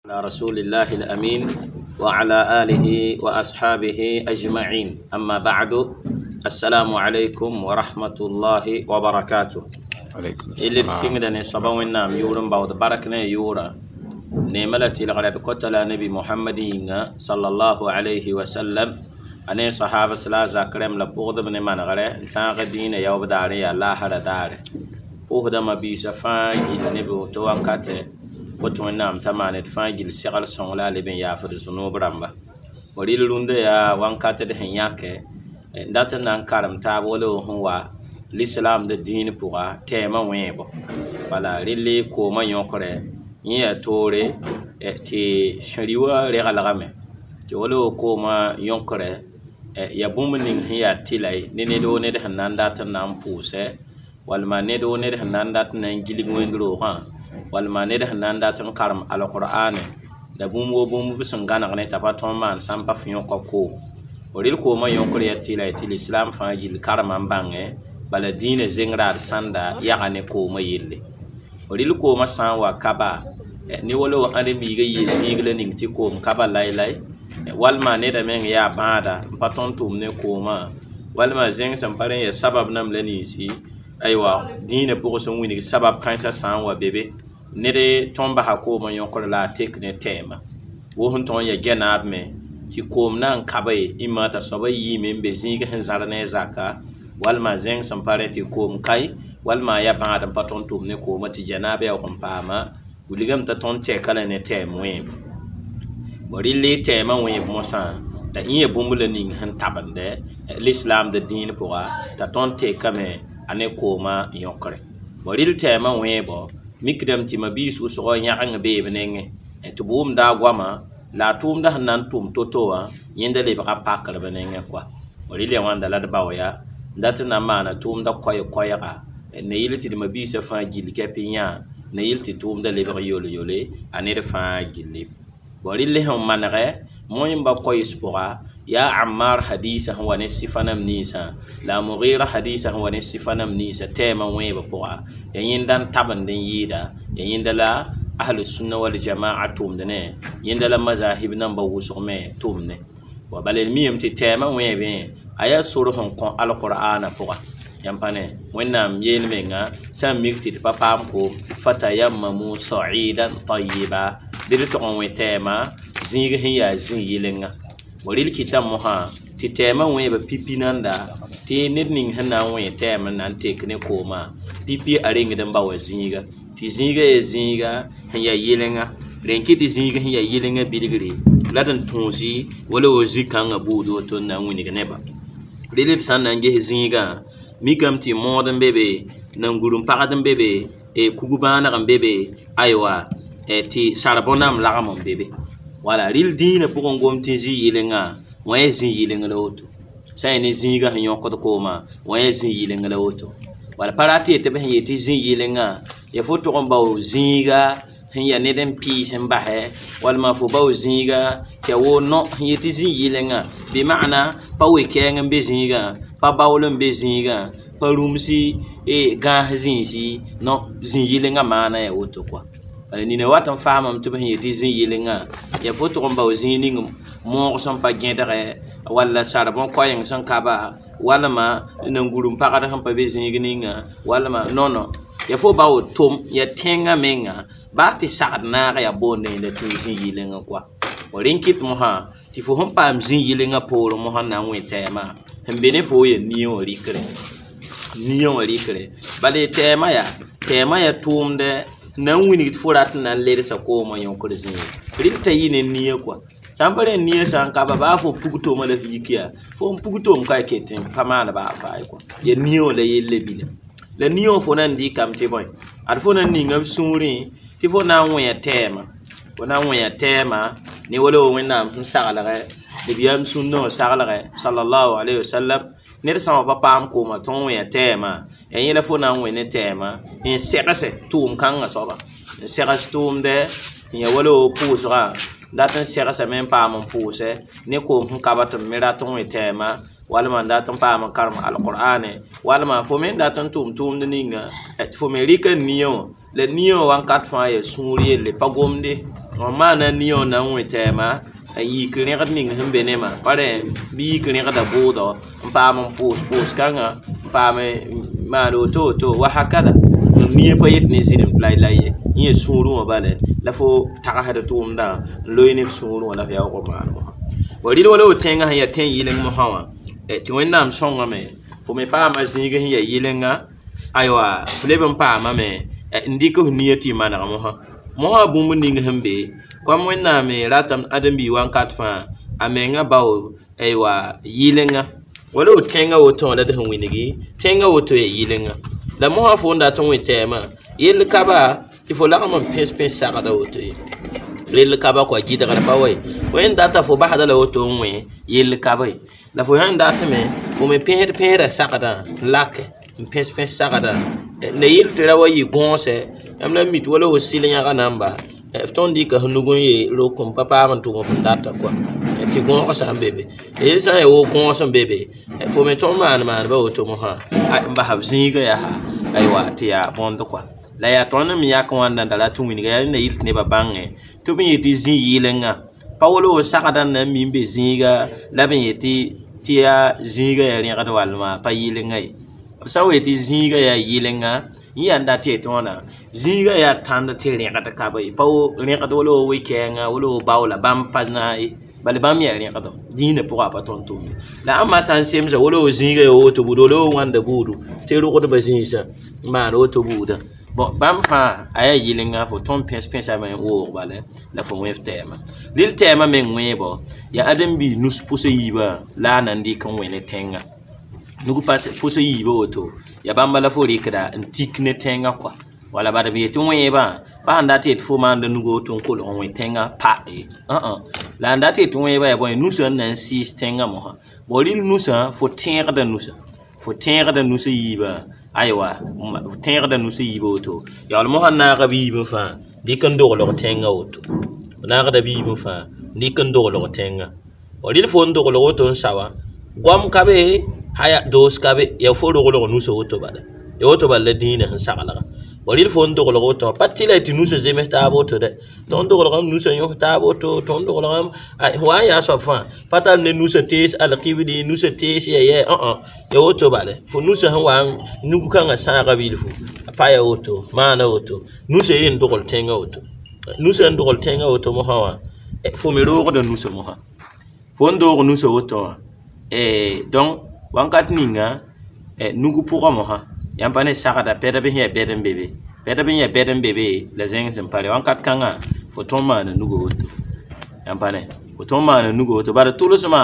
على رسول الله الأمين وعلى آله وأصحابه أجمعين. أما بعد، السلام عليكم ورحمة الله وبركاته. إلي سيغدا ne soaba wẽnnaam yʋʋr n baood bark ne a yʋʋrã neema la tɩlgrã d kota la nabi Mohamad yĩnga sallallahu alayhi wa sallam, a ne sahabas la a zak rẽmb la pʋgdb ne manegrɛ n tãag dĩinã yaoob daar n yaa laasra daare. Pʋʋsda mabiisã fãa gill ne b woto wakatɛ kot wẽnnaam t'a maan d fãa gill segl sõng la a leb n yaafd zũnub rãmba. Fo rɩl rũndã yaa wankatd sẽn yãke n dat n na n karem taab wala sẽn wa lislaamd dĩin pʋga tɛɛmã wẽebo. Bala rɩl koomã yõkre yẽ yaa toore tɩ sẽri wã regelgame tɩ wala koomã yõkre yaa bũmb ning sẽn yaa tɩla ne ned woo ned sẽn na n dat n na n pʋʋsɛ, walma ned woo ned sẽn na n dat n na n gilg wẽnd-roogã, walma ned sẽn na n dat n karem alqur'ane la bũmb woo bũmb b sẽn gãneg ne t'a pa tõe n maan sã n pa f yõka koom. Fo rɩl koomã yõkr yaa tɩla tɩ lislaam fãa gill karema n bãngẽ bala dĩinã zengra d sãnda yaga ne koomã yelle. Fo rɩl koomã sã n wa kaba ne wala wa ãdem-biigã yee zĩig la ning tɩ koom kaba laylay, walma neda meng yaa bãada n pa tõnd tʋʋm ne koomã, walma zẽng sẽn pa rẽ yaa sabab nam la ninsi aywa dĩinã pʋgẽ sẽn wilg sabab kãensã sã n wa be be ned tõnd basa koomã yõkr la a tek ne tɛɛma wo sẽn tõog n yaa gɛnaab me tɩ koom na n kabe ĩmã t'a soaba yiime n be zĩig sẽn zãr ne a zaka, walma zẽng sẽn pa rẽ tɩ koom kae, walma a yaa bãad n pa tõnd tʋʋm ne koomã tɩ janaab yaoog n paama wilgame t'a tõnd tɛka la ne tɛɛm wẽeb. Bõ rɩl tɛɛmã wẽeb mosã la ĩ ya bũmb la ning sẽn tabendɛ lislaamd dĩin pʋga t'a tõnd tekame a ne koomã yõkre. Bõ rɩl tɛɛmã wẽebɔ mikdame tɩ mabiis wʋsgɔ yãgeng bee b nengẽ tɩ b wʋmda a goamã la a tʋʋmda sẽn na n tʋm to-to wã yẽnda lebga pakr b nengẽ kɔa. Bõ rɩl ya wãnda la d bao ya n dat n na n maana tʋʋmda koɛɛ-koɛɛga ne yɩl tɩ d mabiisã fãa gill kɛp n yã ne yɩl tɩ tʋʋmda lebg yol-yole a ned fãa gilli. Bõ rɩl sẽn manegɛ moẽmba koɛɛs pʋga yaa Ammar hadisa sẽn wa ne sɩfa nam ninsã la a Mugira hadisa sẽn wa ne sɩfa nam ninsã tɛɛmã wẽebã pʋga ya yẽnda n tabend n yɩɩda ya yẽnda la ahlu sunna wal jamaa tʋʋmd ne yẽnda la mazahib namba wʋsg me tʋʋmd ne. Wa bala d miyame tɩ tɛɛmã wẽebẽ a yaa sor sẽn kõ alqur'ana pʋga yãmb pa ne wẽnnaam yeel menga sã n mik tɩ d pa paam koom fatayammamu sa'idan tayiba bɩ d tog n wẽ tɛɛmã zĩig sẽn yaa zĩ-yɩlenga. Bõ rɩl kɩta mosã tɩ tɛɛmã wẽebã pipi nanda tɩ ned ning sẽn na n wẽ tɛɛm n na n tek ne koomã pipi a rengd n ba wa zĩiga tɩ zĩiga yaa zĩiga sẽn yaa yɩlenga rẽn kɩ tɩ zĩig sẽn yaa yɩlenga bilgre la d n tõosi wala wa zĩ-kãngã buud woto n na n wilg nebã. Rɩl d sã n na n ges zĩigã mikame tɩ mood n be be, nangur n pagd n be be, kug-bãaneg n be be, aywa tɩ sarbõ-nam lagem n be be. Wala rɩl dĩinã pʋgẽ gom tɩ zĩ-yɩlengã wã yaa zĩ-yɩleng la woto sã n yaa ne zĩigã sẽn yõkd koomã wã yaa zĩ-yɩleng la woto. Wala pa rat yetɩ b sẽn yet tɩ zĩ-yɩlengã ya fo tʋg n bao zĩiga sẽn yaa ned n pɩɩs n basɛ walma fo bao zĩiga tɩ ya woo no sẽn yet tɩ zĩ-yɩlengã bɩ maana pa we-kɛɛng n be zĩigã, pa baool n be zĩigã, pa rũmsi gãas zĩisi no zĩ-yɩlengã maana yaa woto kɔa. Bala nina wat n faamame tɩ b sẽn yet tɩ zĩ-yɩlengã yaa fo tʋg n bao zĩig ning moog sẽn pa gẽdgɛ walla sarbõ koɛɛng sẽn ka ba walma nangur n pagd sẽn pa be zĩig ninga walma nono ya fo bao tʋm ya tẽngã menga baa tɩ sagd naag yaa boonde yẽnda tɩ zĩ-yɩlengã kɔa. Fo rẽn kɩt mosã tɩ fo sẽn paam zĩ-yɩlengã poorẽ mosã n na n wẽ tɛɛmã sẽn be ne fo yaa nia wã rɩkre nia wã rɩkre bala tɛɛmã yaa tʋʋmdɛ na n wilg tɩ fo rat n na n ledsa koomã yõkr zĩig rɩl t'a yɩ ne nia kɔa. Sã n pa rẽ nia sã n ka ba baa fo pug toma la f yik yaa fo n pug tom ka ket n pa maan baa faay kɔa ya nia wã la yelle bila la nia wã fo na n dɩkame tɩ bõe ad fo na n ninga b sũurẽ tɩ fo na n wẽa tɛɛmã fo na n wẽa tɛɛmã ne wala wa wẽnnaam sẽn saglgɛ nabiyaam sũndã wã saglgɛ sallallahu alayhi wa sallam ned sã n wa pa paam koomã tɩ n wẽa tɛɛmã ya yẽ la fo na n wẽ ne tɛɛmã n segse tʋʋm kãngã soaba n segs tʋʋmdɛ n ya wala wa pʋʋsgã dat n segsame n paam n pʋʋsɛ ne koom sẽn ka ba tɩ b me rat n wẽ tɛɛmã walma n dat n paam n karem alqur'ane walma fo me n dat n tʋʋm tʋʋmd ninga tɩ fo me rɩka nia wã la nia wã wakat fãa yaa sũur yelle pa gomde. Wã maana nia n na n wẽ tɛɛma n yik rẽgd ning sẽn be nemã pa rẽ bɩ yik rẽgda bʋʋdɔ n paam n pʋʋs pʋʋs kãngã n paam n maan woto woto wa hakada nia pa yet ne zɩrem laylay ye yẽ sũurẽ wã bale la fo tagsd tʋʋmdã n loe ne f sũurẽ wã la f yaoog n maan mosã wa rɩl wala tẽngã sẽn yaa tẽn yɩleng mosã wã tɩ Wẽnnaam sõngame fo me paama zĩig sẽn yaa yɩlenga aywa f leb n paamame n dɩk f nia tɩ y maneg mosã mosã bũmb ning sẽn be kom Wẽnnaam ratame ãdem-biig wãnkat fãa a menga bao aywa yɩlenga wala f tẽngã woto la d sẽn wilgi tẽngã woto yaa yɩlenga la mosã fo n dat n wẽ tɛɛmã yell ka ba tɩ fo lagm n pẽs pẽs sagda woto ye yell ka ba kɔa gɩdgr pa wa ye fo yẽn data fo basda la woto n wẽ yell ka ba ye la fo sãn datme fo me pẽsd pẽsda sagdã n lake n pẽs pẽs sagdã la yell tɩ ra wa yɩ gõose yãmb la mi tɩ wala fo sɩl yãga namba f tõnd dɩka f nug n ye rok n pa paam n tʋm f n data kɔa tɩ gõog sã n be be yel sã n yaa wo gõos n be be fo me tõnd maan maanba woto mosã n basa f zĩiga yaa aywa tɩ yaa bõnd kɔa la yaa tõnd me yak wãnda n da rat n wilga yaa rẽnda yɩl tɩ nebã bãngẽ tɩ b yetɩ zĩ yɩlenga pa wala fo sagdã n na n mi n be zĩiga la b yetɩ tɩ yaa zĩiga yaa rẽgd walma pa yɩlenga ye b sã n wa yetɩ zĩiga yaa yɩlenga yẽ yaa n dat yetɩ wãna zĩiga yaa tãnd tɩ rẽgd ka be pa wo rẽgd wala wo we-kɛɛngã wala wo baoola bãmb pa naag ye bala bãmb yaa rẽgdo dĩinã pʋgã a pa tõnd tʋʋm ye la ãmba sã n semsa wala wo zĩiga yaa woto buud wala wo wãnda buudu tɩ rogdbã zĩisã n maan woto buudã bon bãmb fãa a yaa yɩlenga fo tõnd pẽs pẽsame n woog bala la fo wẽ f tɛɛma rɩl tɛɛmã meng wẽebɔ yaa ãdem-biis nus pʋs yiibã la a na n dɩk n wẽ ne tẽngã nug pʋs yiibã woto yaa bãmba la fo rɩkda n tik ne tẽngã kɔa wala bad b yetɩ wẽebã pa sãn dat yetɩ fo maanda nugo woto n kolg n wẽ tẽngã pa ye la n dat yetɩ wẽebã yaa bõe nusã n na n sɩɩs tẽngã mosã bon rɩl nusã fo tẽegda nusã fo tẽegda nusã yiibã aywa tẽegda nusã yiibã woto yaool mosã naaga b yiibẽ fãa dɩk n doglg tẽngã woto naagda b yiibẽ fãa dɩk n doglg tẽngã rɩl fo n doglg woto n sa wã goam ka be haya doos ka be yaa fo roglg nusã woto bala ya woto bala la dĩinã sẽn saglga rɩl fo n doglg woto pa tɩ la tɩ nusã zems taab woto dɛ tõnd doglgame nusã yõs taab woto tõnd doglgame wa n yaa soab fãa pa tar ne nusã tees alkibli nusã tees ya yɛ ya woto bala fo nusã sẽn wa nug kãngã sãaga bilfu a pa ya woto maana woto nusã yen dogl tẽngã woto nusã n dogl tẽngã woto mosã wã fo me roogda nusã mosã fo n doog nusã woto wã donc wãnkat ninga nug pʋgã mosã yãmb pa ne sagda pɛdb sẽn yaa bɛd n be be pɛdb n yaa bɛd n be be la zẽng sẽn pare wãnkat kãngã fo tõnd maana nugo woto yãmb pa ne fo tõnd maana nugo woto bara tʋlsmã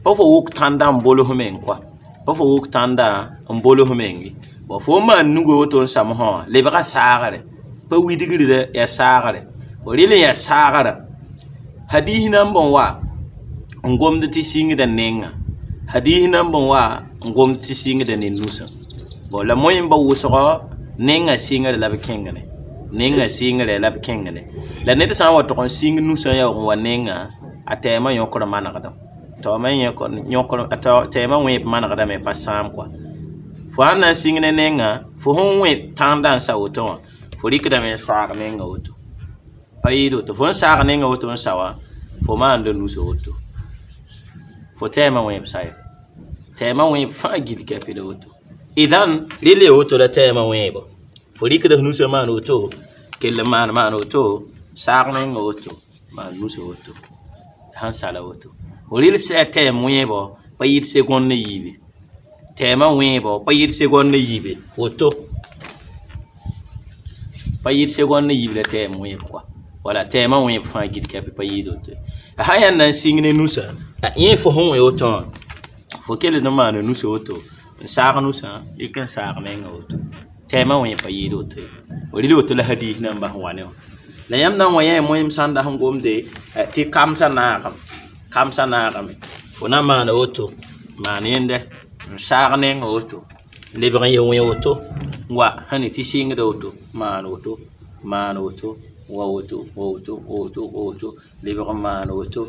pa fo wʋk tãnda n bols meng kɔa pa fo wʋk tãnda n bols meng ye bon fo n maan nugo woto n sa mosã wã lebga saagre pa widgr yaa saagre fo rɩl n yaa saagrã hadiis nan bõn wa n gomd tɩ sɩngda nengã hadiis nan bõn wa n gomd tɩ sɩngda ne nusã bon la moẽmba wʋsgɔ nengã sɩngre la b kẽngre nengã sɩngre la b kẽngre la ned sã n wa tʋg n sɩng nusã yaoog n wa nengã a tɛɛmã yõkr manegdem tɛɛmã wẽeb manegdame pa sãam kɔa fo sãn na n sɩng ne nengã fo sẽn wẽ tãndã n sa woto wã fo rɩkdame n saag nengã woto pa yɩɩd woto fo n saag nengã woto n sa wã fo maanda nusã woto fo tɛɛmã wẽeb sa ye tɛɛmã wẽeb fãa gill kɛpɩ la woto idan rɩl ya woto la tɛɛmã wẽebo fo rɩkda f nusã maan woto kell n maan maan woto saag menga woto maan nusã woto sãn sala woto fo rɩl sɛ tɛɛm wẽebɔ pa yɩɩd segond ne yiibe tɛɛmã wẽebɔ pa yɩɩd segond ne yiibe woto pa yɩɩd segond ne yiib la tɛɛm wẽeb kɔa wala tɛɛmã wẽeb fãa gill kɛpɩ pa yɩɩd woto sã yãnd na n sɩng ne nusã yẽ fo sẽn wẽ woto wã fo kell n maana nusã woto n saag nusã dɩk n saag menga woto tɛɛmã wẽ pa yɩɩd woto ye rɩl woto la hadiis nan bas n wa ne wã la yãmb na n wa yã moẽm sãn da sẽn gomde tɩ kamsã naagame kamsã naagame fo na maana woto maan yẽnde n saag nenga woto lebg n ye wẽ woto n wa sẽn ne tɩ sɩngda woto maan woto maan woto wa woto wa woto wa woto wa woto lebg n maan woto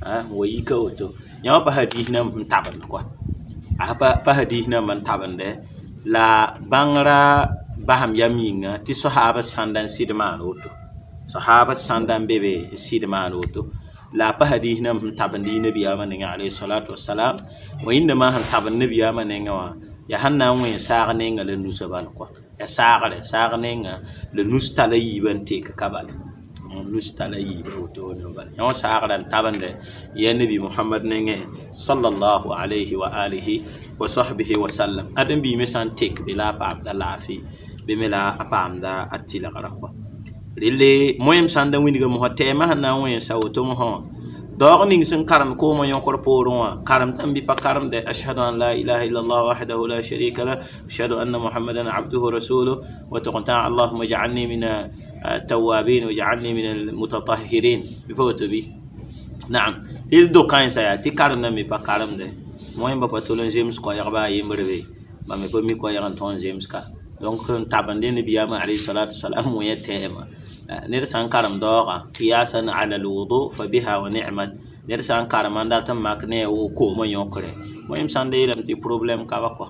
n wa yika woto yã wã pa hadiis nan n tabend kɔa a pa hadiis nambã n tabende la bãngrã basam yam yĩnga tɩ soahaabã sãnda n sɩd maan woto Sahaba sãn da n be be n sɩd maan woto la a pa hadis nam sẽn tabend y nabiyaamã nengã alayhi salatu wasalam. Wẽnnaamã sẽn tabend nabiyaamã nengã wã yaa sẽn na n wẽ saag nenga la nusa bal kɔa, yaa saagre saag nenga la nus tala yiibã n tek ka bala, nus tala yiibã woto ne bala. Yã wã saagra n tabende ya nabi Muhammad nengẽ sallallahu alayhi wa alihi wa sahbihi wa sallam. Ãdem biime sã n tek be la a paamda laafɩ be me la a paamda a tɩlgra kɔa. Relle moẽm sãn da wilga mosã tɛɛmã sẽn na n wẽnsa woto mosã wã daoog ning sẽn karemd koomã yõkr poorẽ wã karemdame bɩ pa karemde ashhadu an la ilaha illallah wahdahu la sharika lah ashhadu anna muhammadan abduhu rasuluh wa tɩg n tã allahuma ij'alni min التوابين واجعلني من المتطهرين bɩ pa woto bɩ naam. Rel do kãensa yaa tɩ karemdame bɩ pa karemde moẽm ba pa tol n zems koɛɛg baa yembre be ba me pa mi koɛɛg n tõe n zems ka. Donc n tabende nabiyaamã alayhi salatu wasalam wẽ tɛɛmã ned sã n karem daoogã qiyasan ala alwudu fa biha wa ni'mat. Ned sã n karema n dat n mak ne a wo koomã yõkre moẽm sãn da yeelame tɩ problème ka ba kɔa.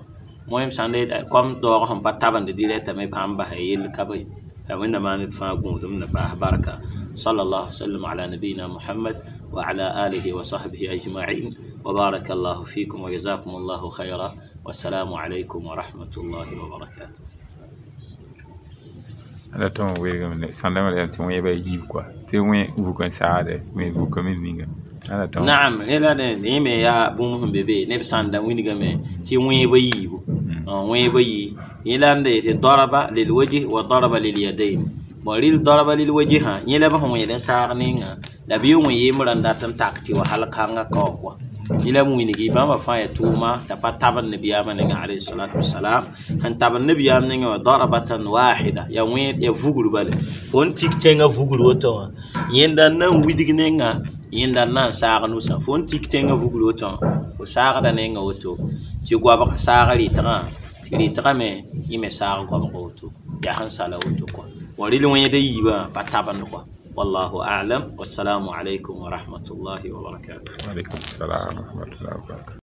Moẽm sãn da yeta kom daoog sẽn pa tabend directement bãmb basa yell ka be la wẽnnaam maan d fãa gũudum na paas barka. Sallallahu sallam ala nabiyina Muhammad wa ala alihi wa sahbihi ajma'in wa baraka allahu fikum wa jazakum allahu khayra. Wassalamu alaykum wa rahmatullahi wa barakatuh. Ala tõe n weegame ne sãndame la tɩ wẽeba yiib kɔa tɩ wẽ vuk n saagde wẽ vukame ninga ala tõe. Naam, rẽla yẽ me yaa bũmb sẽn be be neb sãn da wilgame tɩ wẽeba yiibu, wẽeba yi yẽ la n da yetɩ daraba lilwajh wa daraba lilyadain. Bon, rɩl daraba lilwajhã yẽ la b sẽn wẽed n saag ninga la b yɩ wẽ yembrã n dat n tak tɩ wa hal kãngã kao kɔa. Yẽ la b wilgi bãmba fãa yaa tʋʋma t'a pa tabend nabiyaamã nengã alayhi salatu wasalam. Sẽn tabend nabiyaam nengã wã darbatan wahida yaa wẽed yaa vugr bale fo n tik tẽngã vugr woto wã yẽnda n na n widg nengã yẽnda n na n saag nusã. Fo n tik tẽngã vugr woto wã fo saagda nengã woto tɩ goabg saag rɩtgã tɩ rɩtgã me yẽ me saag goabg woto yaa sẽn sala woto kɔa. Bon, rɩl wẽeda yiibã pa tabend kɔa. Wallahu a'lam. Wassalamu alaykum wa rahmatullahi wa barakatuh. Wa alaykum salam wa rahmatullahi wa barakatuh.